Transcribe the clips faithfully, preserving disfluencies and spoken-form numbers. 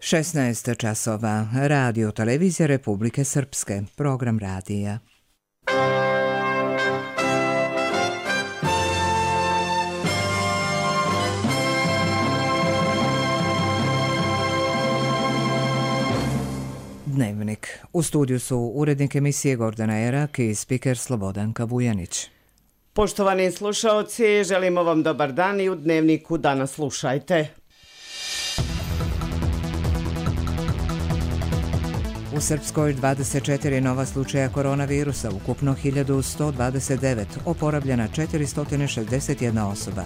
šesnaest časova. Radio televizija Republike Srpske. Program radija. Dnevnik. U studiju su urednik emisije Gordana Erak i spiker Slobodanka Vujanić. Poštovani slušaoci, želimo vam dobar dan i u Dnevniku danas slušajte. U Srpskoj dvadeset četiri nova slučaja koronavirusa, ukupno hiljadu sto dvadeset devet, oporavljena četiristo šezdeset jedna osoba.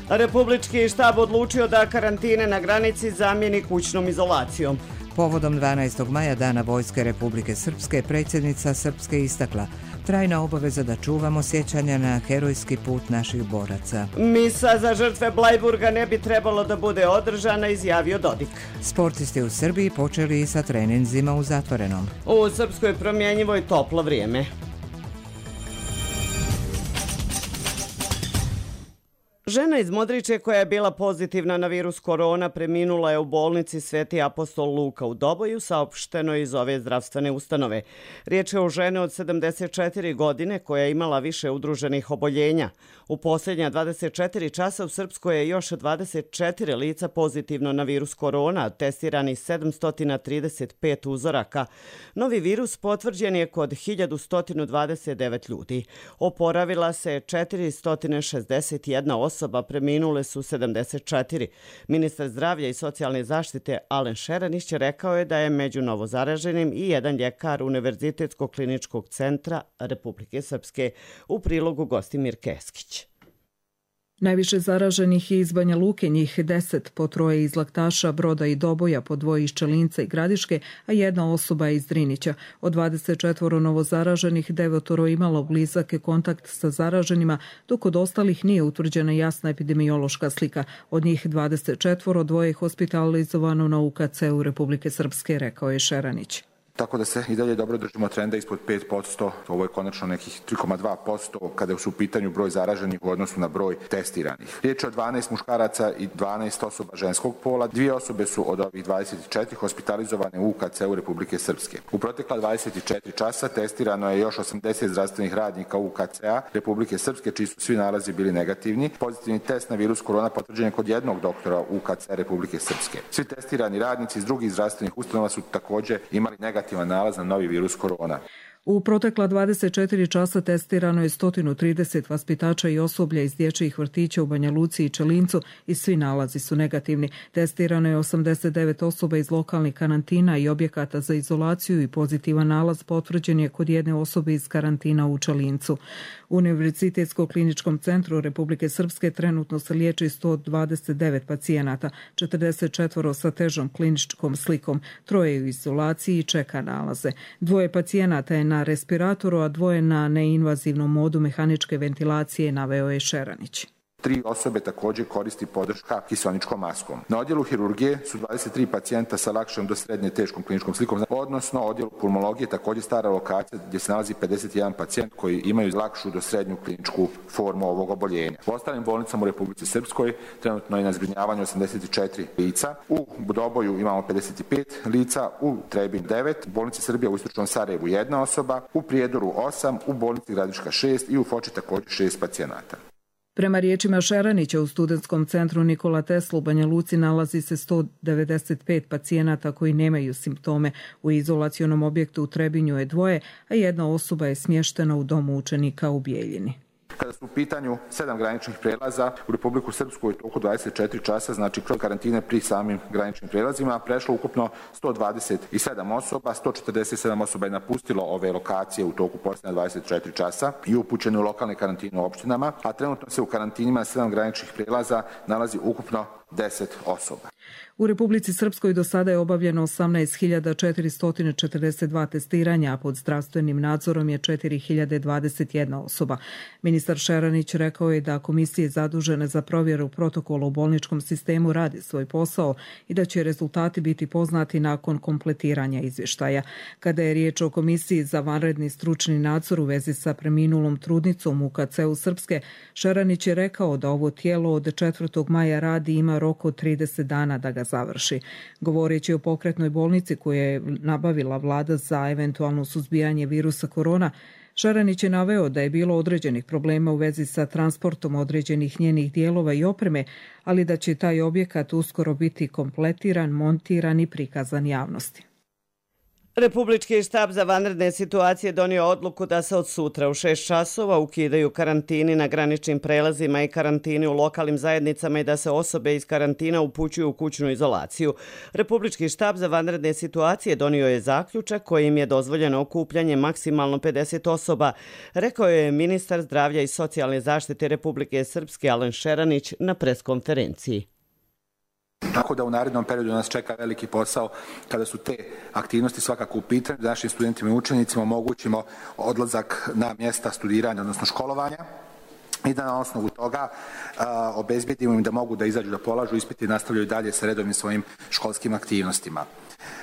Republički štab odlučio da karantine na granici zamijeni kućnom izolacijom. Povodom dvanaestog maja, Dana Vojske Republike Srpske, predsjednica Srpske istakla: trajna obaveza da čuvamo sjećanja na herojski put naših boraca. Misa za žrtve Blajburga ne bi trebalo da bude održana, izjavio Dodik. Sportisti u Srbiji počeli i sa treninzima u zatvorenom. U Srpskoj promjenjivoj toplo vrijeme. Žena iz Modriče koja je bila pozitivna na virus korona preminula je u bolnici Sveti apostol Luka u Doboju, saopšteno iz ove zdravstvene ustanove. Riječ je o ženi od sedamdeset četiri godine koja je imala više udruženih oboljenja. U posljednja dvadeset četiri časa u Srpskoj je još dvadeset četiri lica pozitivno na virus korona, testirani sedamsto trideset pet uzoraka. Novi virus potvrđen je kod hiljadu sto dvadeset devet ljudi. Oporavila se četiristo šezdeset jedna osoba. Osoba preminule su sedamdeset četiri. Ministar zdravlja i socijalne zaštite Alen Šeranić rekao je da je među novozaraženim i jedan ljekar Univerzitetskog kliničkog centra Republike Srpske. U prilogu Gostimir Keskić. Najviše zaraženih je iz Banja Luke, njih deset, po troje iz Laktaša, Broda i Doboja, po dvoje iz Čelinca i Gradiške, a jedna osoba je iz Drinića. Od dvadeset četiri novozaraženih, devetoro imalo blizake kontakt sa zaraženima, dok od ostalih nije utvrđena jasna epidemiološka slika. Od njih dvadeset četiri, dvoje je hospitalizovano na U K C-u Republike Srpske, rekao je Šeranić. Tako da se i dalje dobro držimo trenda ispod pet posto, ovo je konačno nekih tri zarez dva posto kada su u pitanju broj zaraženih u odnosu na broj testiranih. Riječ je o dvanaest muškaraca i dvanaest osoba ženskog pola, dvije osobe su od ovih dvadeset četiri hospitalizovane u U K C-u Republike Srpske. U protekla dvadeset četiri časa testirano je još osamdeset zdravstvenih radnika U K C-a Republike Srpske, čiji su svi nalazi bili negativni. Pozitivni test na virus korona potvrđen je kod jednog doktora U K C Republike Srpske. Svi testirani radnici iz drugih zdravstvenih ustanova su također imali negativan nalaz na novi virus korona. U protekla dvadeset četiri časa testirano je sto trideset vaspitača i osoblja iz dječjih vrtića u Banja Luci i Čelincu i svi nalazi su negativni. Testirano je osamdeset devet osoba iz lokalnih karantina i objekata za izolaciju i pozitivan nalaz potvrđen je kod jedne osobe iz karantina u Čelincu. U Univerzitetskom kliničkom centru Republike Srpske trenutno se liječi sto dvadeset devet pacijenata, četrdeset četiri sa težom kliničkom slikom, troje u izolaciji i čeka nalaze. Dvoje pacijenata je na respiratoru, a dvoje na neinvazivnom modu mehaničke ventilacije, naveo je Šeranić. Tri osobe također koristi podrška kiseoničkom maskom. Na odjelu hirurgije su dvadeset tri pacijenta sa lakšom do srednje teškom kliničkom slikom, odnosno odjelu pulmologije također stara lokacija gdje se nalazi pedeset jedan pacijent koji imaju lakšu do srednju kliničku formu ovog oboljenja. U ostalim bolnicama u Republici Srpskoj trenutno je na zbrinjavanju osamdeset četiri lica, u Doboju imamo pedeset pet lica, u Trebin devet, u bolnici Srbija u Istočnom Sarajevu jedna osoba, u Prijedoru osam, u bolnici Gradiška šest i u Foči također šest pacijenata. Prema riječima Šeranića, u Studentskom centru Nikola Tesla u Banja Luci nalazi se sto devedeset pet pacijenata koji nemaju simptome. U izolacionom objektu u Trebinju je dvoje, a jedna osoba je smještena u domu učenika u Bijeljini. Kada su u pitanju sedam graničnih prelaza u Republiku Srpsku je toliko dvadeset četiri časa, znači kroz karantine pri samim graničnim prelazima, prešlo ukupno sto dvadeset sedam osoba, sto četrdeset sedam osoba je napustilo ove lokacije u toku posljednja dvadeset četiri časa i upućeno u lokalne karantine u opštinama, a trenutno se u karantinima sedam graničnih prelaza nalazi ukupno deset osoba. U Republici Srpskoj do sada je obavljeno osamnaest hiljada četiristo četrdeset dva testiranja, a pod zdravstvenim nadzorom je četiri hiljade dvadeset jedna osoba. Ministar Šeranić rekao je da komisije zadužene za provjeru protokola u bolničkom sistemu radi svoj posao i da će rezultati biti poznati nakon kompletiranja izvještaja. Kada je riječ o komisiji za vanredni stručni nadzor u vezi sa preminulom trudnicom U K C-u Srpske, Šeranić je rekao da ovo tijelo od četvrtog maja radi i ima rok od trideset dana da ga završi. Govoreći o pokretnoj bolnici koju je nabavila vlada za eventualno suzbijanje virusa korona, Šaranić je naveo da je bilo određenih problema u vezi sa transportom određenih njenih dijelova i opreme, ali da će taj objekat uskoro biti kompletiran, montiran i prikazan javnosti. Republički štab za vanredne situacije donio odluku da se od sutra u šest časova ukidaju karantini na graničnim prelazima i karantini u lokalnim zajednicama i da se osobe iz karantina upućuju u kućnu izolaciju. Republički štab za vanredne situacije donio je zaključak kojim je dozvoljeno okupljanje maksimalno pedeset osoba, rekao je ministar zdravlja i socijalne zaštite Republike Srpske Alen Šeranić na preskonferenciji. Tako da u narednom periodu nas čeka veliki posao kada su te aktivnosti svakako u pitanju, da našim studentima i učenicima omogućimo odlazak na mjesta studiranja, odnosno školovanja, i da na osnovu toga a, obezbedimo im da mogu da izađu da polažu ispiti i nastavljaju dalje sa redovnim svojim školskim aktivnostima.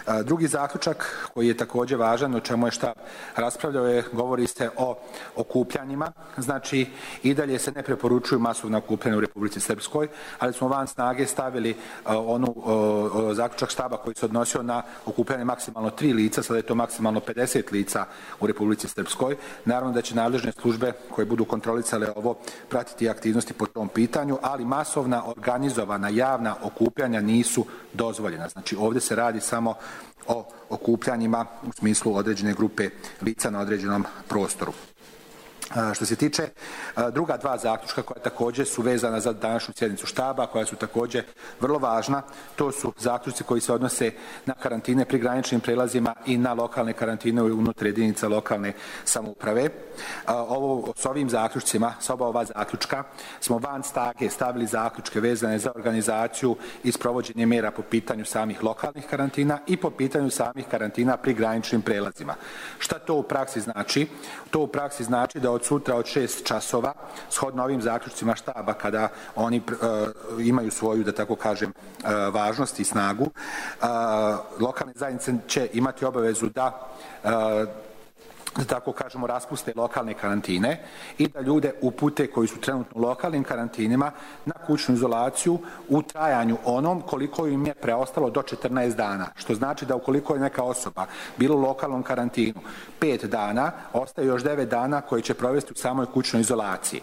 A, drugi zaključak koji je također važan, o čemu je štab raspravljao, je, govori se o okupljanjima. Znači, i dalje se ne preporučuju masovna okupljanja u Republici Srpskoj, ali smo van snage stavili a, onu a, a, zaključak štaba koji se odnosio na okupljanje maksimalno tri lica, sada je to maksimalno pedeset lica u Republici Srpskoj. Naravno da će nadležne službe koje budu kontrolisale ovo pratiti aktivnosti po tom pitanju, ali masovna, organizovana, javna okupljanja nisu dozvoljena. Znači, ovdje se radi samo o okupljanjima u smislu određene grupe lica na određenom prostoru. Što se tiče druga dva zaključka koja također su vezana za današnju sjednicu štaba, koja su također vrlo važna, to su zaključci koji se odnose na karantine pri graničnim prelazima i na lokalne karantine unutar jedinica lokalne samouprave. Ovo, s ovim zaključcima, s oba ova zaključka, smo van snage stavili zaključke vezane za organizaciju i sprovođenje mjera po pitanju samih lokalnih karantina i po pitanju samih karantina pri graničnim prelazima. Šta to u praksi znači? To u praksi znači da od sutra od šest časova, shodno ovim zaključcima štaba, kada oni uh, imaju svoju, da tako kažem, uh, važnost i snagu, uh, lokalne zajednice će imati obavezu da uh, da tako kažemo, raspuste lokalne karantine i da ljude upute koji su trenutno u lokalnim karantinima na kućnu izolaciju u trajanju onom koliko im je preostalo do četrnaest dana. Što znači da ukoliko je neka osoba bila u lokalnom karantinu pet dana, ostaje još devet dana koje će provesti u samoj kućnoj izolaciji.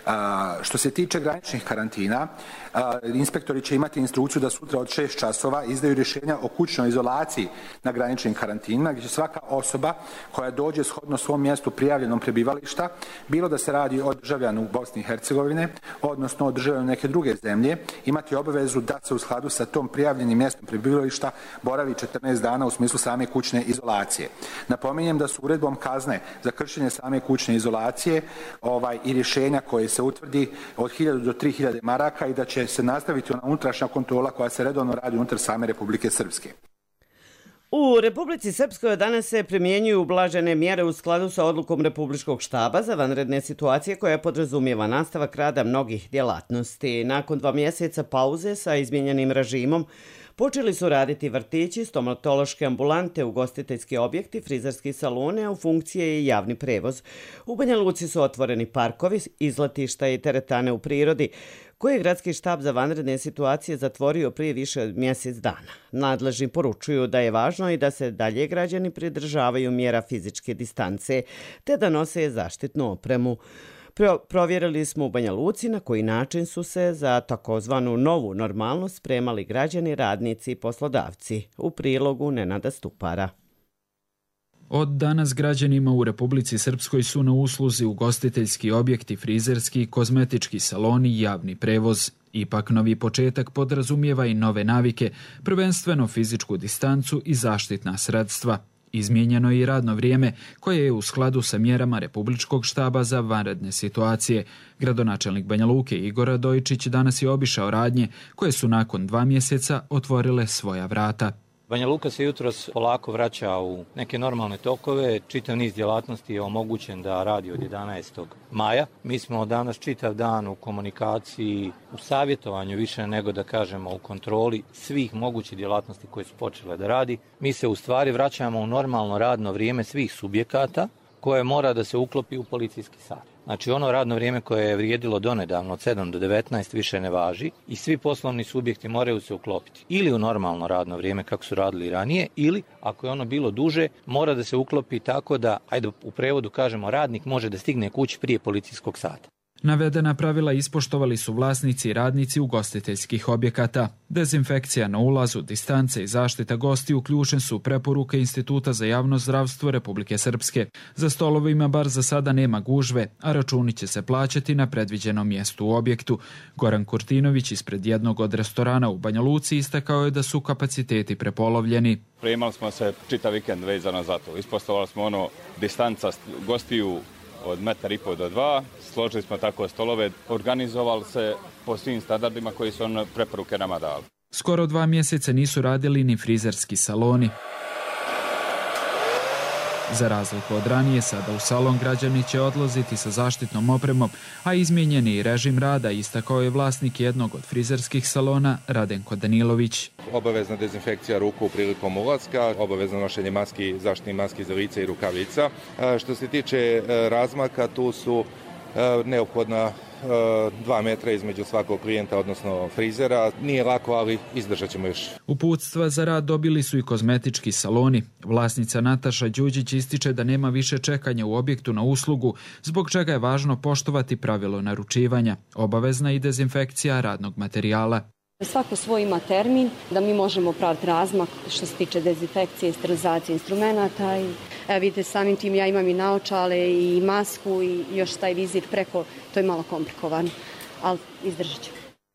A, što se tiče graničnih karantina, a, inspektori će imati instrukciju da sutra od šest časova izdaju rješenja o kućnoj izolaciji na graničnim karantinima, gdje će svaka osoba koja dođe shodno svom mjestu prijavljenom prebivališta, bilo da se radi o državljanu Bosne i Hercegovine, odnosno o državljanu neke druge zemlje, imati obavezu da se u skladu sa tom prijavljenim mjestom prebivališta boravi četrnaest dana u smislu same kućne izolacije. Napominjem da su uredbom kazne za kršenje same kućne izolacije ovaj, i rješenja koje se utvrdi od hiljadu do tri hiljade maraka i da će se nastaviti ona unutrašnja kontrola koja se redovno radi unutar same Republike Srpske. U Republici Srpskoj danas se primjenjuju ublažene mjere u skladu sa odlukom Republičkog štaba za vanredne situacije koja podrazumijeva nastavak rada mnogih djelatnosti. Nakon dva mjeseca pauze sa izmijenjenim režimom počeli su raditi vrtići, stomatološke ambulante, ugostiteljski objekti, frizerski salone, a u funkciji je i javni prevoz. U Banja Luci su otvoreni parkovi, izletišta i teretane u prirodi, koje je gradski štab za vanredne situacije zatvorio prije više od mjesec dana. Nadležni poručuju da je važno i da se dalje građani pridržavaju mjera fizičke distance, te da nose zaštitnu opremu. Pro, provjerili smo u Banja Luci na koji način su se za takozvanu novu normalnost spremali građani, radnici i poslodavci. U prilogu Nenada Stupara. Od danas građanima u Republici Srpskoj su na usluzi ugostiteljski objekti, frizerski, kozmetički saloni i javni prevoz. Ipak novi početak podrazumijeva i nove navike, prvenstveno fizičku distancu i zaštitna sredstva. Izmijenjeno je i radno vrijeme koje je u skladu sa mjerama Republičkog štaba za vanredne situacije. Gradonačelnik Banja Luke Igor Radojičić danas je obišao radnje koje su nakon dva mjeseca otvorile svoja vrata. Banja Luka se jutros polako vraća u neke normalne tokove, čitav niz djelatnosti je omogućen da radi od jedanaestog maja. Mi smo danas čitav dan u komunikaciji, u savjetovanju više nego da kažemo u kontroli svih mogućih djelatnosti koje su počele da radi. Mi se u stvari vraćamo u normalno radno vrijeme svih subjekata, koje mora da se uklopi u policijski sat. Znači ono radno vrijeme koje je vrijedilo donedavno od sedam do devetnaest više ne važi i svi poslovni subjekti moraju se uklopiti ili u normalno radno vrijeme kako su radili ranije ili ako je ono bilo duže mora da se uklopi tako da, ajde u prevodu kažemo, radnik može da stigne kući prije policijskog sata. Navedena pravila ispoštovali su vlasnici i radnici ugostiteljskih objekata. Dezinfekcija na ulazu, distance i zaštita gostiju ključne su preporuke Instituta za javno zdravstvo Republike Srpske. Za stolovima bar za sada nema gužve, a računi će se plaćati na predviđenom mjestu u objektu. Goran Kurtinović ispred jednog od restorana u Banja Luci istakao je da su kapaciteti prepolovljeni. Primali smo se čitav vikend vezano za to. Ispoštovali smo ono distanca gostiju od metar i pol do dva, složili smo tako stolove, organizovali se po svim standardima koji su on preporuke nama dali. Skoro dva mjeseca nisu radili ni frizerski saloni. Za razliku od ranije, sada u salon građani će odlaziti sa zaštitnom opremom, a izmijenjeni režim rada istakao je vlasnik jednog od frizerskih salona, Radenko Danilović. Obavezna dezinfekcija ruku prilikom ulaska, obavezno nošenje maski, zaštitnih maski za lice i rukavica. Što se tiče razmaka, tu su neophodna dva metra između svakog klijenta, odnosno frizera. Nije lako, ali izdržat ćemo još. Uputstva za rad dobili su i kozmetički saloni. Vlasnica Nataša Đuđić ističe da nema više čekanja u objektu na uslugu, zbog čega je važno poštovati pravilo naručivanja. Obavezna i dezinfekcija radnog materijala. Svako svoj ima termin da mi možemo praviti razmak što se tiče dezinfekcije i sterilizacije instrumenta. I, evo vidite, samim tim ja imam i naočale i masku i još taj vizir preko, to je malo komplikovano, ali izdržat ću.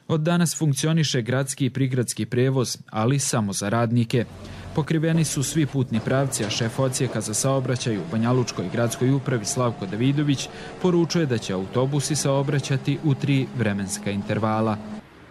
Od danas funkcioniše gradski i prigradski prevoz, ali samo za radnike. Pokriveni su svi putni pravci, a šef odsjeka za saobraćaj u Banjalučkoj gradskoj upravi Slavko Davidović poručuje da će autobusi saobraćati u tri vremenska intervala.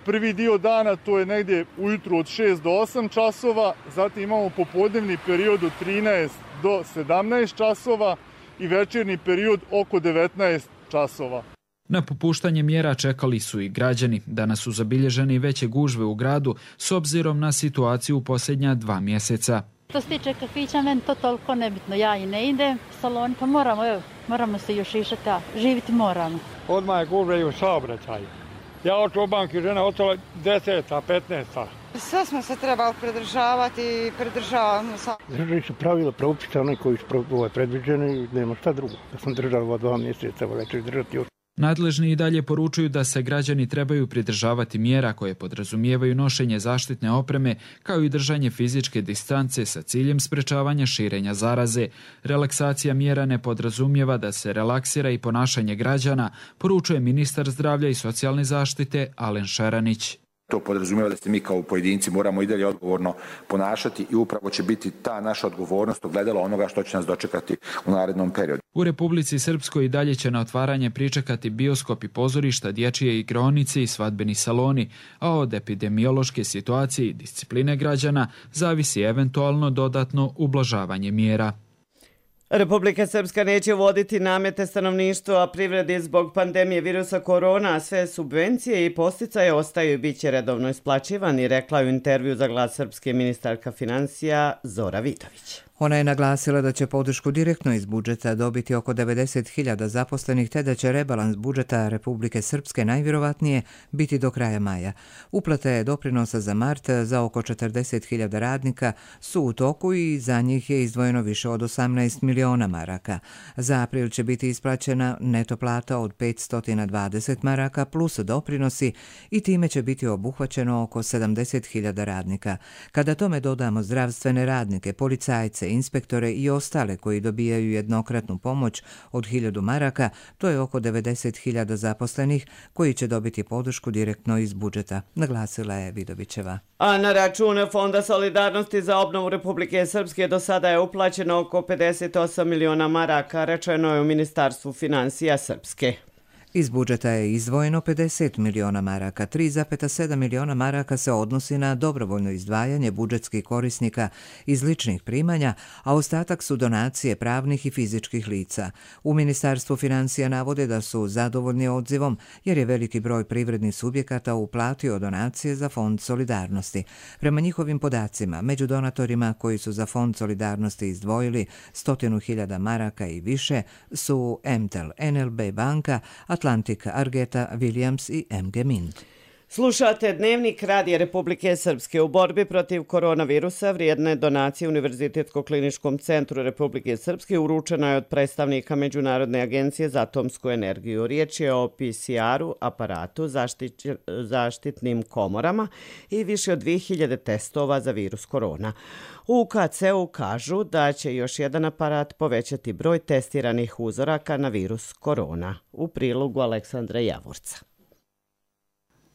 Prvi dio dana to je negdje ujutru od šest do osam časova, zatim imamo popodnevni period od trinaest do sedamnaest časova i večernji period oko devetnaest časova. Na popuštanje mjera čekali su i građani. Danas su zabilježeni veće gužve u gradu s obzirom na situaciju u posljednja dva mjeseca. Što se tiče kafića, meni to toliko nebitno. Ja i ne idem, salon, pa moramo, evo, moramo se još išati, a živiti moramo. Odmah je gužve i u saobraćaju. Ja oču u banki, žena ostala deseta, petnaesta. Sve smo se trebali pridržavati i pridržavamo se. Držali su pravila propisa, onaj koji su predviđeni i nema šta drugo. Da sam držala ova dva mjeseca, već ću držati još. Nadležni i dalje poručuju da se građani trebaju pridržavati mjera koje podrazumijevaju nošenje zaštitne opreme kao i držanje fizičke distance sa ciljem sprečavanja širenja zaraze. Relaksacija mjera ne podrazumijeva da se relaksira i ponašanje građana, poručuje ministar zdravlja i socijalne zaštite Alen Šeranić. To podrazumijeva da se mi kao pojedinci moramo i dalje odgovorno ponašati i upravo će biti ta naša odgovornost ogledalo onoga što će nas dočekati u narednom periodu. U Republici Srpskoj i dalje će na otvaranje pričekati bioskopi, pozorišta, dječje igraonice i svadbeni saloni, a od epidemiološke situacije i discipline građana zavisi eventualno dodatno ublažavanje mjera. Republika Srpska neće voditi namete stanovništvu, a privredi zbog pandemije virusa korona, a sve subvencije i posticaje ostaju i bit će redovno isplaćivani, rekla je u intervju za Glas Srpske ministarka financija Zora Vidović. Ona je naglasila da će podršku direktno iz budžeta dobiti oko devedeset hiljada zaposlenih, te da će rebalans budžeta Republike Srpske najvjerovatnije biti do kraja maja. Uplate doprinosa za mart za oko četrdeset hiljada radnika su u toku i za njih je izdvojeno više od osamnaest miliona maraka. Za april će biti isplaćena neto plata od petsto dvadeset maraka plus doprinosi i time će biti obuhvaćeno oko sedamdeset hiljada radnika. Kada tome dodamo zdravstvene radnike, policajce, inspektore i ostale koji dobijaju jednokratnu pomoć od hiljadu maraka, to je oko devedeset hiljada zaposlenih koji će dobiti podršku direktno iz budžeta, naglasila je Vidovićeva. A na račun Fonda solidarnosti za obnovu Republike Srpske do sada je uplaćeno oko pedeset osam miliona maraka, rečeno je u Ministarstvu financija Srpske. Iz budžeta je izdvojeno pedeset miliona maraka, tri zarez sedam miliona maraka se odnosi na dobrovoljno izdvajanje budžetskih korisnika iz ličnih primanja, a ostatak su donacije pravnih i fizičkih lica. U Ministarstvu financija navode da su zadovoljni odzivom jer je veliki broj privrednih subjekata uplatio donacije za Fond solidarnosti. Prema njihovim podacima, među donatorima koji su za Fond solidarnosti izdvojili stotinu hiljada maraka i više su M T E L, N L B banka, Atlantik, Argeta, Williams i M G Mint. Slušate Dnevnik Radija Republike Srpske. U borbi protiv koronavirusa vrijedne donacije Univerzitetsko-kliničkom centru Republike Srpske uručena je od predstavnika Međunarodne agencije za atomsku energiju. Riječ je o P C R-u, aparatu, zaštit, zaštitnim komorama i više od dvije hiljade testova za virus korona. U K C-u kažu da će još jedan aparat povećati broj testiranih uzoraka na virus korona. U prilogu Aleksandra Javorca.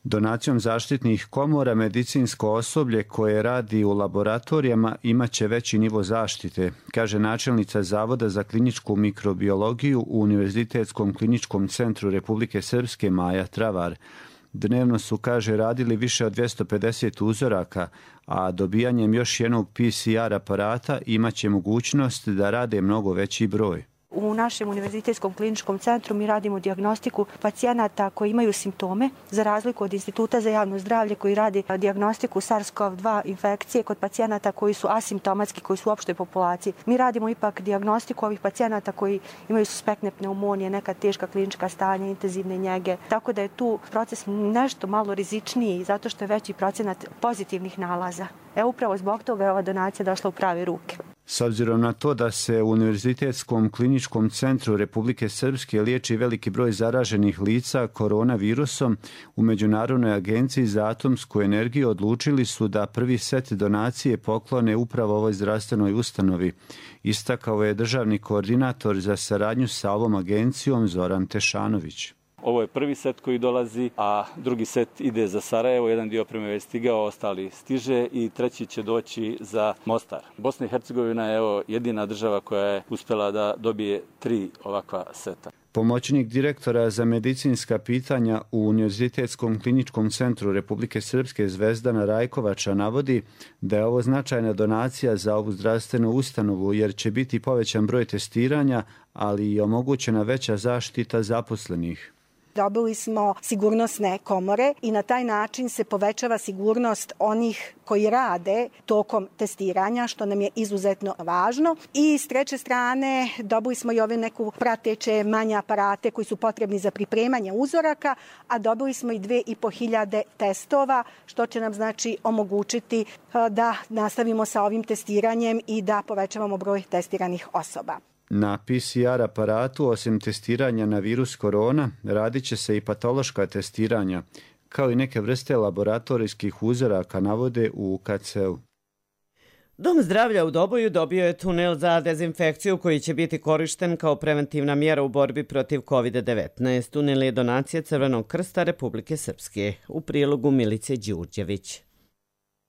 Donacijom zaštitnih komora medicinsko osoblje koje radi u laboratorijama imaće veći nivo zaštite, kaže načelnica Zavoda za kliničku mikrobiologiju u Univerzitetskom kliničkom centru Republike Srpske Maja Travar. Dnevno su, kaže, radili više od dvjesto pedeset uzoraka, a dobijanjem još jednog P C R aparata imaće mogućnost da rade mnogo veći broj. U našem Univerzitetskom kliničkom centru mi radimo dijagnostiku pacijenata koji imaju simptome, za razliku od Instituta za javno zdravlje koji radi dijagnostiku SARS-CoV dva infekcije kod pacijenata koji su asimptomatski, koji su u opštoj populaciji. Mi radimo ipak dijagnostiku ovih pacijenata koji imaju suspektne pneumonije, neka teška klinička stanja, intenzivne njege. Tako da je tu proces nešto malo rizičniji zato što je veći procenat pozitivnih nalaza. E upravo zbog toga je ova donacija došla u prave ruke. S obzirom na to da se u Univerzitetskom kliničkom centru Republike Srpske liječi veliki broj zaraženih lica koronavirusom, u Međunarodnoj agenciji za atomsku energiju odlučili su da prvi set donacije poklone upravo ovoj zdravstvenoj ustanovi. Istakao je državni koordinator za saradnju sa ovom agencijom Zoran Tešanović. Ovo je prvi set koji dolazi, a drugi set ide za Sarajevo, jedan dio opreme je stigao, ostali stiže i treći će doći za Mostar. Bosna i Hercegovina je evo jedina država koja je uspjela da dobije tri ovakva seta. Pomoćnik direktora za medicinska pitanja u Univerzitetskom kliničkom centru Republike Srpske Zvezdana Rajkovača navodi da je ovo značajna donacija za ovu zdravstvenu ustanovu jer će biti povećan broj testiranja, ali i omogućena veća zaštita zaposlenih. Dobili smo sigurnosne komore i na taj način se povećava sigurnost onih koji rade tokom testiranja, što nam je izuzetno važno. I s treće strane dobili smo i ove neku prateće manje aparate koji su potrebni za pripremanje uzoraka, a dobili smo i dve i po hiljade testova, što će nam znači omogućiti da nastavimo sa ovim testiranjem i da povećavamo broj testiranih osoba. Na P C R aparatu, osim testiranja na virus korona, radit će se i patološka testiranja, kao i neke vrste laboratorijskih uzoraka, navode u U K C-u. Dom zdravlja u Doboju dobio je tunel za dezinfekciju koji će biti korišten kao preventivna mjera u borbi protiv kovid devetnaest. Tunel je donacija Crvenog krsta Republike Srpske. U prilogu Milice Đurđević.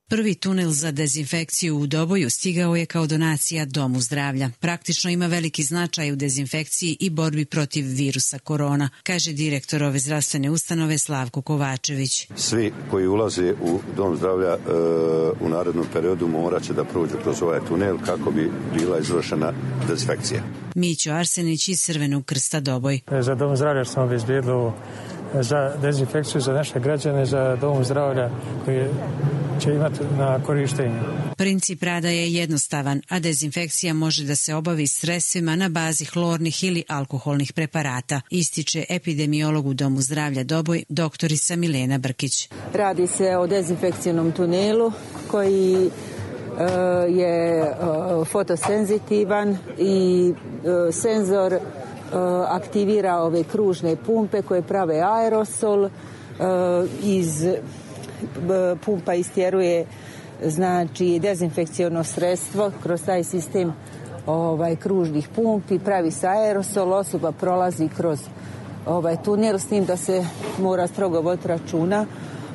Prvi tunel za dezinfekciju u Doboju stigao je kao donacija Domu zdravlja. Praktično ima veliki značaj u dezinfekciji i borbi protiv virusa korona, kaže direktor ove zdravstvene ustanove Slavko Kovačević. Svi koji ulaze u Dom zdravlja e, u narednom periodu morat će da prođu kroz ovaj tunel kako bi bila izvršena dezinfekcija. Mićo Arsenić iz Crvenog krsta Doboj. Za Dom zdravlja smo obezbijedili za dezinfekciju za naše građane, za Dom zdravlja koji će imati na korištenju. Princip rada je jednostavan, a dezinfekcija može da se obavi sredstvima na bazi hlornih ili alkoholnih preparata, ističe epidemiolog u Domu zdravlja Doboj, doktorica Milena Brkić. Radi se o dezinfekcijnom tunelu koji uh, je uh, fotosenzitivan i uh, senzor uh, aktivira ove kružne pumpe koje prave aerosol. Uh, iz pumpa istjeruje znači dezinfekciono sredstvo kroz taj sistem ovaj kružnih pumpi, pravi se aerosol, osoba prolazi kroz ovaj tunel, s tim da se mora strogo voditi računa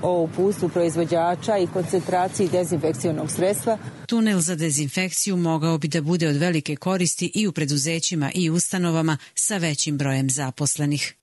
o uputstvu proizvođača i koncentraciji dezinfekcionog sredstva. Tunel za dezinfekciju mogao bi da bude od velike koristi i u preduzećima i ustanovama sa većim brojem zaposlenih.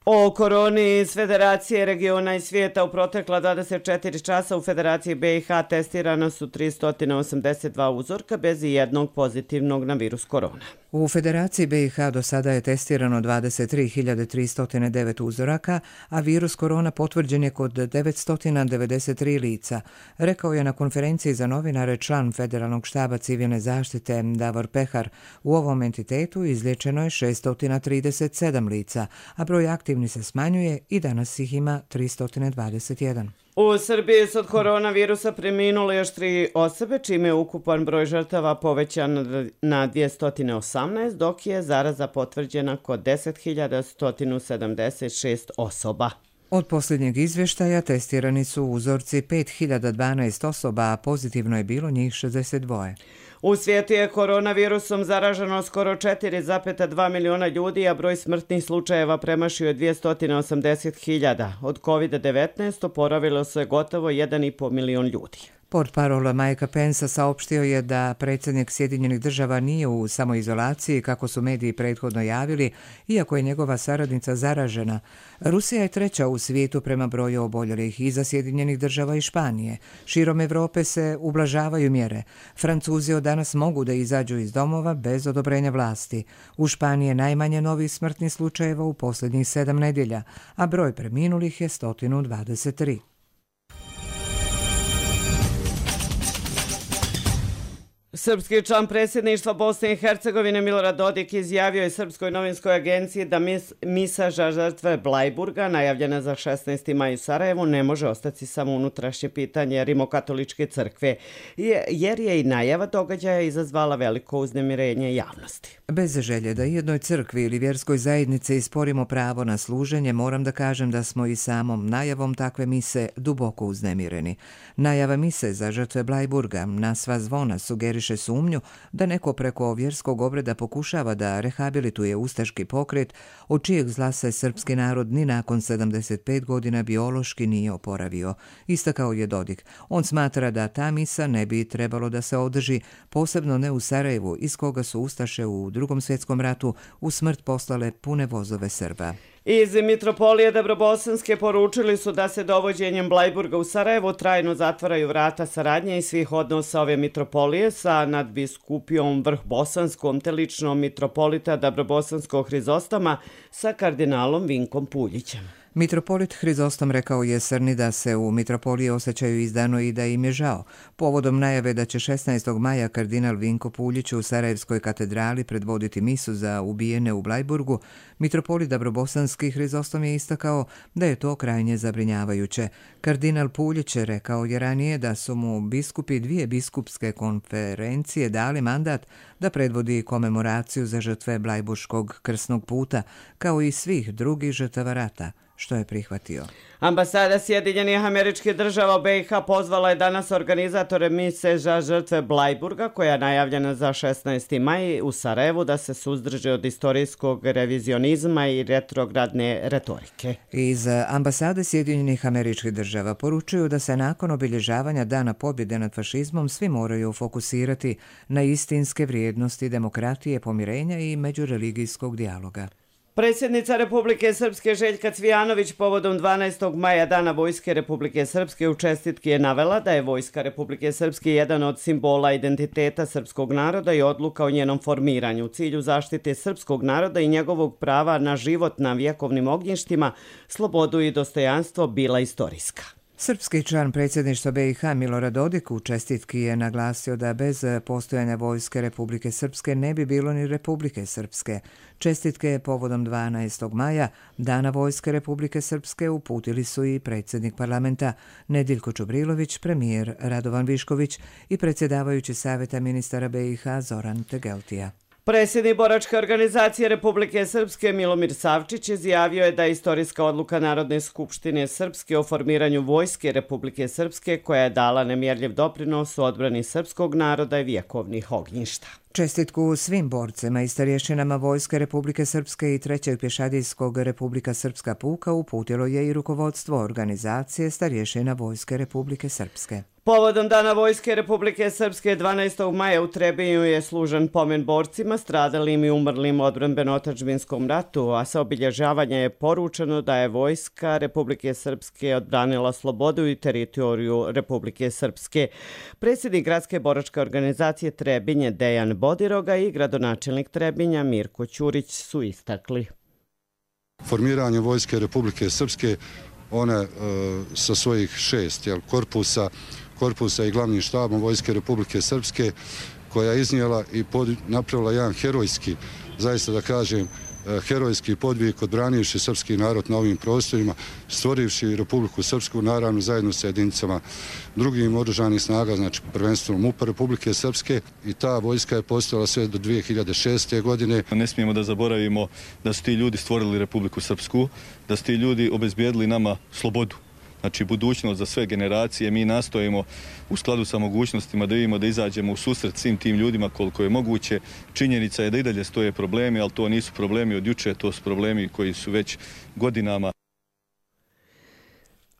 O koroni iz Federacije regiona i svijeta u protekla dvadeset četiri časa u Federaciji B i H testirana su tristo osamdeset dva uzorka bez jednog pozitivnog na virus korona. U Federaciji B i H do sada je testirano dvadeset tri hiljade tristo devet uzoraka, a virus korona potvrđen je kod devetsto devedeset tri lica, rekao je na konferenciji za novinare član Federalnog štaba civilne zaštite Davor Pehar. U ovom entitetu izliječeno je šesto trideset sedam lica, a broj aktivni se smanjuje i danas ih ima tristo dvadeset jedan. U Srbiji su od koronavirusa preminule još tri osobe, čime je ukupan broj žrtava povećan na dvjesto osamnaest, dok je zaraza potvrđena kod deset hiljada sto sedamdeset šest osoba. Od posljednjeg izvještaja testirani su uzorci pet hiljada dvanaest osoba, a pozitivno je bilo njih šezdeset dva. U svijetu je koronavirusom zaraženo skoro četiri zarez dva miliona ljudi, a broj smrtnih slučajeva premašio je dvjesto osamdeset hiljada. Od kovid devetnaest oporavilo se gotovo jedan i po milion ljudi. Portparol Mike Pence saopštio je da predsjednik Sjedinjenih država nije u samoizolaciji, kako su mediji prethodno javili, iako je njegova saradnica zaražena. Rusija je treća u svijetu prema broju oboljelih, iza Sjedinjenih država i Španije. Širom Evrope se ublažavaju mjere. Francuzi od danas mogu da izađu iz domova bez odobrenja vlasti. U Španiji je najmanje novih smrtnih slučajeva u posljednjih sedam nedjelja, a broj preminulih je sto dvadeset tri. Srpski član predsjedništva Bosne i Hercegovine Milorad Dodik izjavio je Srpskoj novinskoj agenciji da mis, misa za žrtve Blajburga, najavljena za šesnaesti maj u Sarajevu, ne može ostati samo unutrašnje pitanje Rimokatoličke crkve, jer je i najava događaja izazvala veliko uznemirenje javnosti. Bez želje da jednoj crkvi ili vjerskoj zajednici isporimo pravo na služenje, moram da kažem da smo i samom najavom takve mise duboko uznemireni. Najava mise za žrtve Blajburga na sva zvona sugeriše sumnju da neko preko vjerskog obreda pokušava da rehabilituje ustaški pokret, od čijeg zla se srpski narod ni nakon sedamdeset pet godina biološki nije oporavio, istakao je Dodik. On smatra da ta misa ne bi trebalo da se održi, posebno ne u Sarajevu, iz koga su ustaše u Drugom svjetskom ratu u smrt poslale pune vozove Srba. Iz Mitropolije Dabrobosanske poručili su da se dovođenjem Blajburga u Sarajevo trajno zatvaraju vrata saradnje i svih odnosa ove mitropolije sa nadbiskupijom Vrhbosanskom te ličnom mitropolita Dabrobosanskog Hrizostama sa kardinalom Vinkom Puljićem. Mitropolit Hrizostom rekao je Srni da se u mitropoliji osjećaju izdano i da im je žao. Povodom najave da će šesnaestog maja kardinal Vinko Puljić u Sarajevskoj katedrali predvoditi misu za ubijene u Blajburgu, mitropolit Dabrobosanski Hrizostom je istakao da je to krajnje zabrinjavajuće. Kardinal Puljić rekao je ranije da su mu biskupi dvije biskupske konferencije dali mandat da predvodi komemoraciju za žrtve Blajburškog krsnog puta, kao i svih drugih žrtava rata, što je prihvatio. Ambasada Sjedinjenih Američkih Država B i H pozvala je danas organizatore mise za žrtve Blajburga, koja je najavljena za šesnaesti maj u Sarajevu, da se suzdrže od istorijskog revizionizma i retrogradne retorike. Iz Ambasade Sjedinjenih Američkih Država poručuju da se nakon obilježavanja Dana pobjede nad fašizmom svi moraju fokusirati na istinske vrijednosti demokratije, pomirenja i međureligijskog dijaloga. Predsjednica Republike Srpske Željka Cvijanović povodom dvanaestog maja Dana Vojske Republike Srpske u čestitki je navela da je Vojska Republike Srpske jedan od simbola identiteta srpskog naroda i odluka o njenom formiranju u cilju zaštite srpskog naroda i njegovog prava na život na vjekovnim ognjištima, slobodu i dostojanstvo bila istorijska. Srpski član predsjedništva B i H Milorad Dodik u čestitki je naglasio da bez postojanja Vojske Republike Srpske ne bi bilo ni Republike Srpske. Čestitke povodom dvanaestog maja, Dana Vojske Republike Srpske, uputili su i predsjednik parlamenta Nediljko Čubrilović, premijer Radovan Višković i predsjedavajući Savjeta ministara B i H Zoran Tegeltija. Predsjednik Boračke organizacije Republike Srpske Milomir Savčić izjavio je da je istorijska odluka Narodne skupštine Srpske o formiranju Vojske Republike Srpske, koja je dala nemjerljiv doprinos u odbrani srpskog naroda i vjekovnih ognjišta. Čestitku svim borcima i starješinama Vojske Republike Srpske i trećeg pješadijskog Republika Srpska puka uputilo je i rukovodstvo organizacije starješina Vojske Republike Srpske. Povodom Dana Vojske Republike Srpske dvanaestog maja u Trebinju je služen pomen borcima stradalim i umrlim u odbrambeno-otadžbinskom ratu, a sa obilježavanja je poručeno da je Vojska Republike Srpske odbranila slobodu i teritoriju Republike Srpske. Predsjednik Gradske boračke organizacije Trebinje Dejan Bodiroga i gradonačelnik Trebinja Mirko Ćurić su istakli. Formiranje Vojske Republike Srpske, one e, sa svojih šest jel, korpusa, korpusa i glavnim štabom Vojske Republike Srpske, koja je iznijela i pod, napravila jedan herojski, zaista da kažem, herojski podvig odbranivši srpski narod na ovim prostorima, stvorivši Republiku Srpsku, naravno zajedno sa jedinicama drugim oružanih snaga, znači prvenstveno MUP-a Republike Srpske, i ta vojska je postojala sve do dvije hiljade šeste. godine. Ne smijemo da zaboravimo da su ti ljudi stvorili Republiku Srpsku, da su ti ljudi obezbijedili nama slobodu. Znači, budućnost za sve generacije. Mi nastojimo u skladu sa mogućnostima da vidimo da izađemo u susret svim tim ljudima koliko je moguće. Činjenica je da i dalje stoje problemi, ali to nisu problemi od juče, to su problemi koji su već godinama.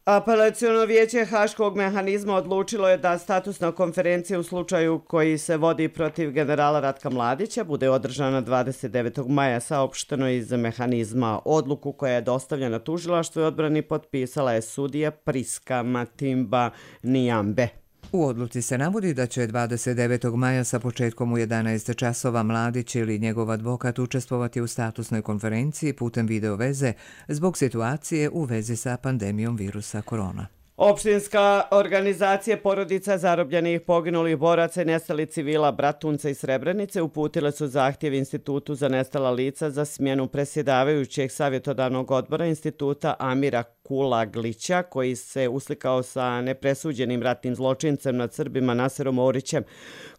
Apelaciono vijeće Haškog mehanizma odlučilo je da statusna konferencija u slučaju koji se vodi protiv generala Ratka Mladića bude održana dvadeset devetog maja, saopšteno iz mehanizma. Odluku koja je dostavljena tužilaštvu i odbrani potpisala je sudija Priska Matimba Nijambe. U odluci se navodi da će dvadeset devetog maja sa početkom u jedanaest časova Mladić ili njegov advokat učestvovati u statusnoj konferenciji putem video veze zbog situacije u vezi sa pandemijom virusa korona. Opštinska organizacija porodica zarobljenih poginulih boraca i nestalih civila Bratunca i Srebrenice uputile su zahtjev Institutu za nestala lica za smjenu predsjedavajućeg savjetodavnog odbora instituta Amira Kulaglića, koji se uslikao sa nepresuđenim ratnim zločincem nad Srbima Naserom Orićem.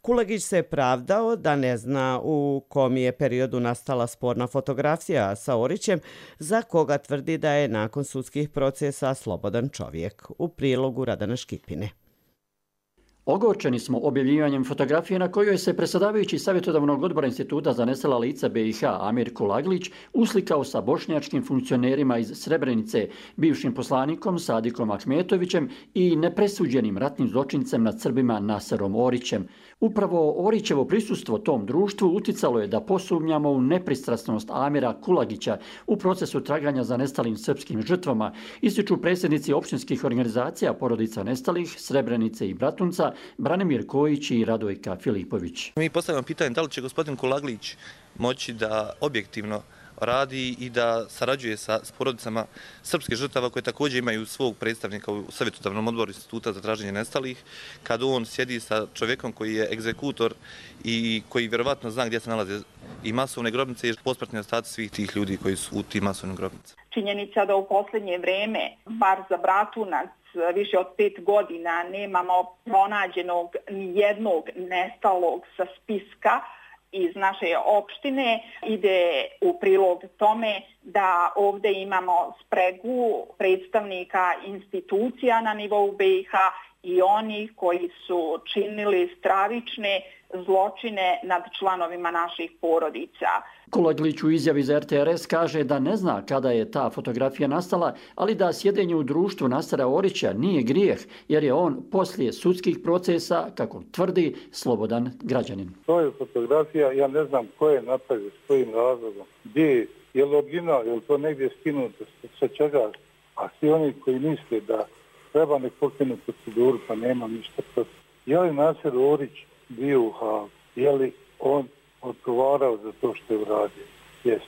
Kulagić se pravdao da ne zna u kom je periodu nastala sporna fotografija sa Orićem, za koga tvrdi da je nakon sudskih procesa slobodan čovjek. U prilogu Radana Škipine. Ogorčeni smo objavljivanjem fotografije na kojoj se predsjedavajući savjetodavnog odbora Instituta za nestala lica B i H Amir Kulaglić uslikao sa bošnjačkim funkcionerima iz Srebrenice, bivšim poslanikom Sadikom Ahmetovićem i nepresuđenim ratnim zločincem nad Srbima Naserom Orićem. Upravo Orićevo prisustvo tom društvu uticalo je da posumnjamo u nepristrasnost Amira Kulagića u procesu traganja za nestalim srpskim žrtvama, ističu predsjednici opštinskih organizacija porodica nestalih Srebrenice i Bratunca, Branimir Kojić i Radojka Filipović. Mi postavljamo pitanje da li će gospodin Kulaglić moći da objektivno radi i da sarađuje sa porodicama srpskih žrtava koje također imaju svog predstavnika u savjetodavnom odboru Instituta za traženje nestalih, kad on sjedi sa čovjekom koji je egzekutor i koji vjerovatno zna gdje se nalaze i masovne grobnice i posmrtni ostaci svih tih ljudi koji su u tim masovnim grobnicama. Činjenica da u posljednje vreme, bar za Bratunac, više od pet godina nemamo pronađenog nijednog nestalog sa spiska iz naše opštine, ide u prilog tome da ovdje imamo spregu predstavnika institucija na nivou B i H i oni koji su činili stravične zločine nad članovima naših porodica. Kulaglić u izjavi za R T R S kaže da ne zna kada je ta fotografija nastala, ali da sjedenje u društvu Nasera Orića nije grijeh, jer je on poslije sudskih procesa, kako tvrdi, slobodan građanin. To je fotografija, ja ne znam ko je napravio, s kojim razlogom, gdje je, je li original, je li to negdje skinuto, sa čega, a svi oni koji misle da treba nek pokrenu proceduru, pa nema ništa protiv. Je li Naser Orić bio u Hagu? Je li on odgovarao za to što je uradio? Jeste.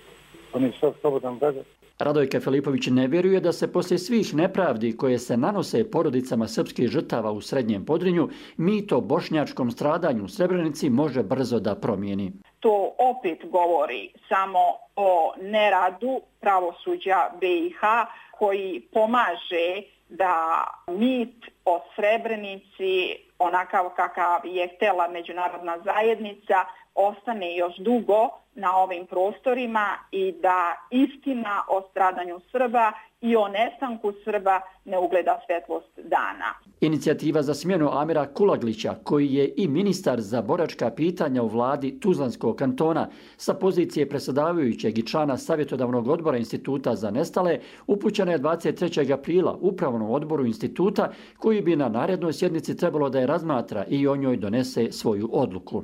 On je sad slobodan građanin. Radojka Filipović ne vjeruje da se poslije svih nepravdi koje se nanose porodicama srpskih žrtava u Srednjem Podrinju, mito bošnjačkom stradanju u Srebrenici može brzo da promijeni. To opet govori samo o neradu pravosuđa B i H koji pomaže da mit o Srebrenici, onakav kakav je htjela međunarodna zajednica, ostane još dugo na ovim prostorima i da istina o stradanju Srba i o nestanku Srba ne ugleda svjetlost dana. Inicijativa za smjenu Amira Kulaglića, koji je i ministar za boračka pitanja u vladi Tuzlanskog kantona, sa pozicije predsjedavajućeg i člana savjetodavnog odbora Instituta za nestale, upućena je dvadeset trećeg aprila upravnom odboru instituta, koji bi na narednoj sjednici trebalo da je razmatra i o njoj donese svoju odluku.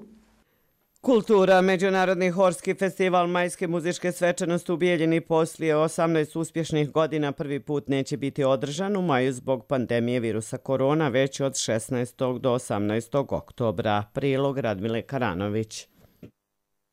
Kultura, Međunarodni horski festival majske muzičke svečanosti u Bijeljini poslije osamnaest uspješnih godina prvi put neće biti održan u maju zbog pandemije virusa korona, već od šesnaestog do osamnaestog oktobra. Prilog Radmile Karanović.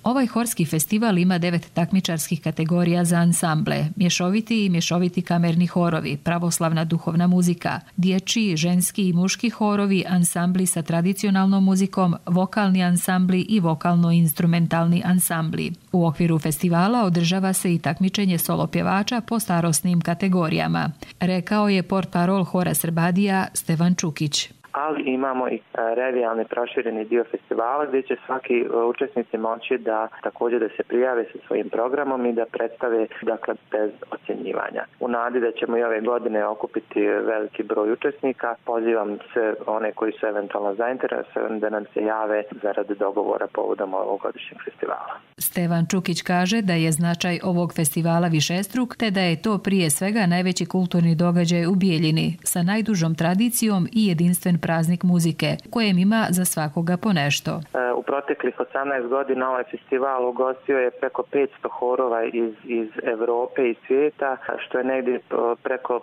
Ovaj horski festival ima devet takmičarskih kategorija za ansamble, mješoviti i mješoviti kamerni horovi, pravoslavna duhovna muzika, dječji, ženski i muški horovi, ansambli sa tradicionalnom muzikom, vokalni ansambli i vokalno-instrumentalni ansambli. U okviru festivala održava se i takmičenje solo pjevača po starosnim kategorijama, rekao je portparol Hora Srbadija Stevan Čukić. Ali imamo i revijalni prošireni dio festivala gdje će svaki učesnici moći da također da se prijave sa svojim programom i da predstave, dakle, bez ocjenjivanja. U nadi da ćemo i ove godine okupiti veliki broj učesnika, pozivam sve one koji su eventualno zainteresovani da nam se jave zarad dogovora povodom ovogodišnjeg festivala. Stevan Čukić kaže da je značaj ovog festivala višestruk, te da je to prije svega najveći kulturni događaj u Bijeljini sa najdužom tradicijom i jedinstven praznik muzike, kojem ima za svakoga po nešto. U proteklih osamnaest godina ovaj festival ugostio je preko petsto horova iz, iz Evrope i svijeta, što je negdje preko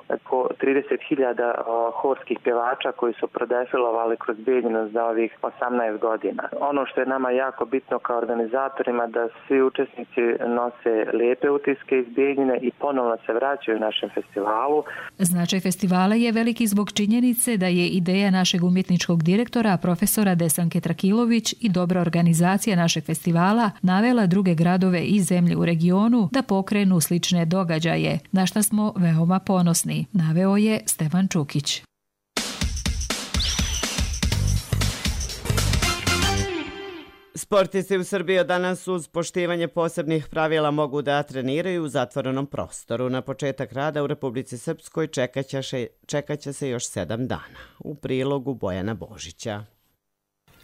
trideset hiljada horskih pjevača koji su prodefilovali kroz Bijeljinu za ovih osamnaest godina. Ono što je nama jako bitno kao organizatorima da svi učesnici nose lijepe utiske iz Bijeljine i ponovno se vraćaju našem festivalu. Značaj festivala je veliki zbog činjenice da je ideja našeg umjetničkog direktora, profesora Desanke Trakilović i dobra organizacija našeg festivala navela druge gradove i zemlje u regionu da pokrenu slične događaje, na što smo veoma ponosni, naveo je Stevan Čukić. Sportisti u Srbiji danas uz poštivanje posebnih pravila mogu da treniraju u zatvorenom prostoru. Na početak rada u Republici Srpskoj čekaće se, čekaće se još sedam dana. U prilogu Bojana Božića.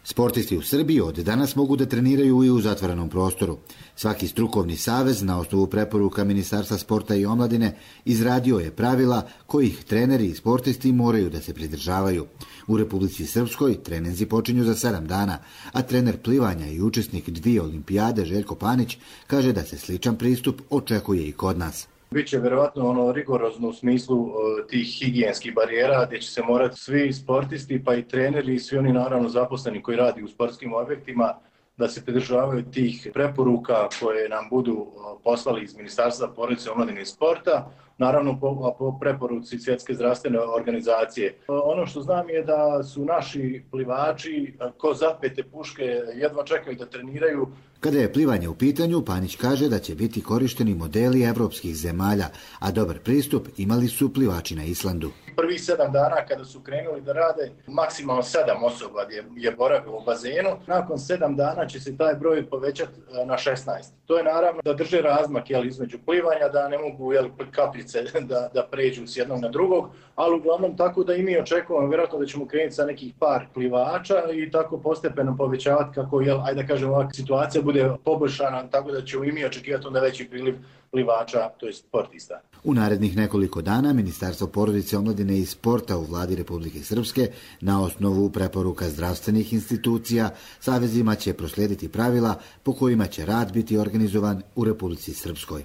Sportisti u Srbiji od danas mogu da treniraju i u zatvorenom prostoru. Svaki strukovni savez na osnovu preporuka Ministarstva sporta i omladine izradio je pravila kojih treneri i sportisti moraju da se pridržavaju. U Republici Srpskoj treninzi počinju za sedam dana, a trener plivanja i učesnik dvije olimpijade Željko Panić kaže da se sličan pristup očekuje i kod nas. Biće vjerovatno ono rigorozno u smislu uh, tih higijenskih barijera gdje će se morati svi sportisti pa i treneri i svi oni naravno zaposleni koji radi u sportskim objektima da se pridržavaju tih preporuka koje nam budu uh, poslali iz Ministarstva porodice, omladine i sporta, naravno po, po preporuci Svjetske zdravstvene organizacije. Uh, ono što znam je da su naši plivači uh, ko zapete puške jedva čekaju da treniraju. Kada je plivanje u pitanju, Panić kaže da će biti korišteni modeli evropskih zemalja, a dobar pristup imali su plivači na Islandu. Prvih sedam dana kada su krenuli da rade, maksimalno sedam osoba je, je boravilo u bazenu. Nakon sedam dana će se taj broj povećati na šesnaest. To je naravno da drže razmak jel, između plivanja, da ne mogu jel, kapljice da, da pređu s jednog na drugog, ali uglavnom tako da i mi očekujemo vjerojatno da ćemo krenuti sa nekih par plivača i tako postepeno povećavati kako, jel, ajde da kažem, ovakva situacija bude poboljšana, tako da ćemo i mi očekivati onda veći priliv plivača, to je sportista. U narednih nekoliko dana Ministarstvo porodice, omladine i sporta u vladi Republike Srpske na osnovu preporuka zdravstvenih institucija savezima će proslijediti pravila po kojima će rad biti organizovan u Republici Srpskoj.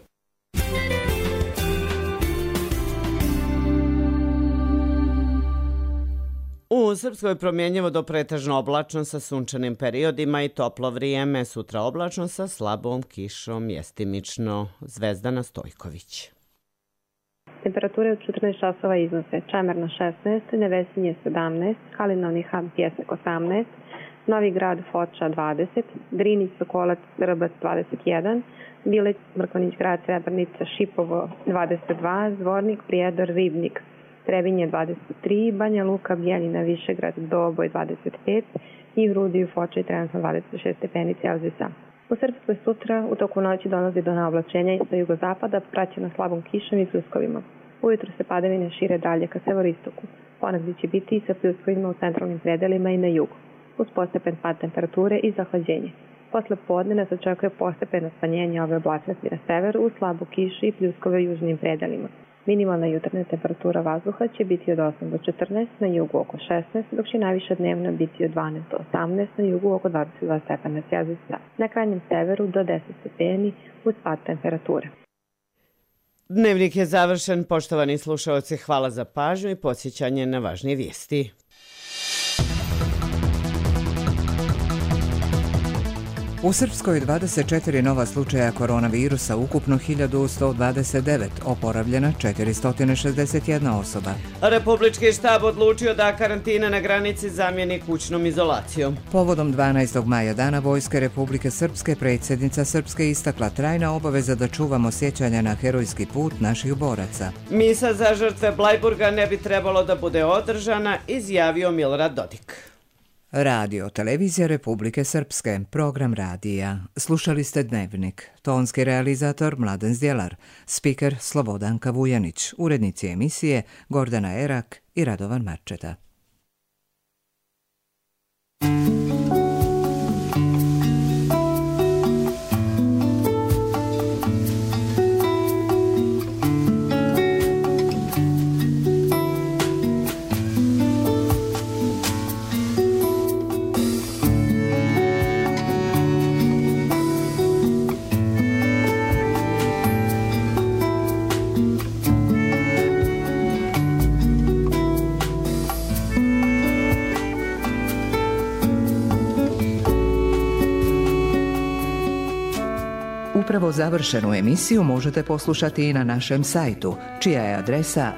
U Srpskoj promjenjivo do pretežno oblačno sa sunčanim periodima i toplo vrijeme, sutra oblačno sa slabom kišom, mjestimično. Zvezdana Stojković. Temperature od četrnaest časova iznose Čemerna šesnaest, Nevesinje sedamnaest, Kalinovni Han Pjesnik osamnaest, Novi Grad Foča dvadeset, Drinić Sokolac Rbac dvadeset jedan, Bileć Mrkonić Grad Srebrnica Šipovo dvadeset dva, Zvornik Prijedor Ribnik Trebinje dvadeset tri, Banja Luka, Bijeljina, Višegrad, Doboj dvadeset pet i Vrudiju, Foča i trenutno dvadeset šest stepeni Celzijusa. U Srpskoj sutra u toku noći dolazi do navlačenja sa jugozapada, praćeno slabom kišom i pljuskovima. Ujutro se padavine šire dalje ka severistoku. Ponegdje će biti i sa pljuskovima u centralnim predelima i na jugu, uz postepen pad temperature i zahlađenje. Posle podne nas očekuje postepeno smanjenje ove oblačnosti na severu, uz slabu kišu i pljuskove u južnim predelima. Minimalna jutarnja temperatura vazduha će biti od osam do četrnaest, na jugu oko šesnaest, dok će najviša dnevna biti od dvanaest do osamnaest, na jugu oko dvadeset dva stepena Celzijusa. Na krajnjem severu do deset stepeni uz pad temperature. Dnevnik je završen. Poštovani slušalci, hvala za pažnju i podsjećanje na važnije vijesti. U Srpskoj dvadeset četiri nova slučaja koronavirusa, ukupno hiljadu sto dvadeset devet, oporavljena četiristo šezdeset jedna osoba. Republički štab odlučio da karantina na granici zamijeni kućnom izolacijom. Povodom dvanaestog maja, Dana Vojske Republike Srpske, predsjednica Srpske istakla trajna obaveza da čuvamo sjećanja na herojski put naših boraca. Misa za žrtve Blajburga ne bi trebalo da bude održana, izjavio Milorad Dodik. Radio Televizija Republike Srpske, program radija. Slušali ste Dnevnik. Tonski realizator Mladen Zdjelar, spiker Slobodanka Vujanić, urednici emisije Gordana Erak i Radovan Marčeta. Upravo završenu emisiju možete poslušati i na našem sajtu, čija je adresa